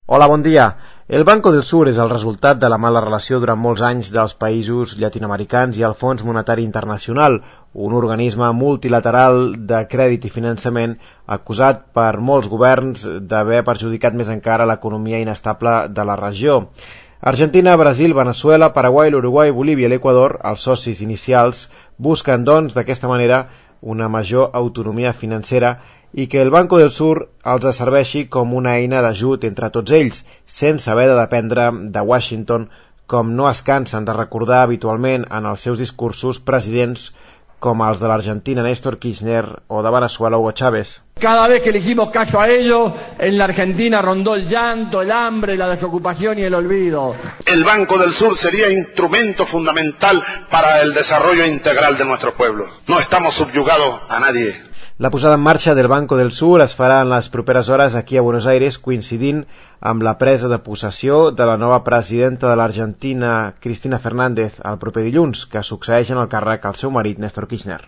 Hola, bon dia. El Banco del Sur és el resultat de la mala relació durant molts anys dels països llatinoamericans i el Fons Monetari Internacional, un organisme multilateral de crèdit i finançament acusat per molts governs d'haver perjudicat més encara l'economia inestable de la regió. Argentina, Brasil, Venezuela, Paraguai, l'Uruguai, Bolívia i l'Equador, els socis inicials, busquen, doncs, d'aquesta manera una major autonomia financera i que el Banco del Sur els serveixi com una eina d'ajut entre tots ells, sense haver de dependre de Washington, com no es cansen de recordar habitualment en els seus discursos presidents com els de l'Argentina Néstor Kirchner o de Venezuela Hugo Chávez. Cada vez que le hicimos caso a ellos, en la Argentina rondó el llanto, el hambre, la desocupación y el olvido. El Banco del Sur sería instrumento fundamental para el desarrollo integral de nuestro pueblo. No estamos subyugados a nadie. La posada en marxa del Banco del Sur es farà en les properes hores aquí a Buenos Aires, coincidint amb la presa de possessió de la nova presidenta de l'Argentina, Cristina Fernández, el proper dilluns, que succeeix en el càrrec al seu marit Néstor Kirchner.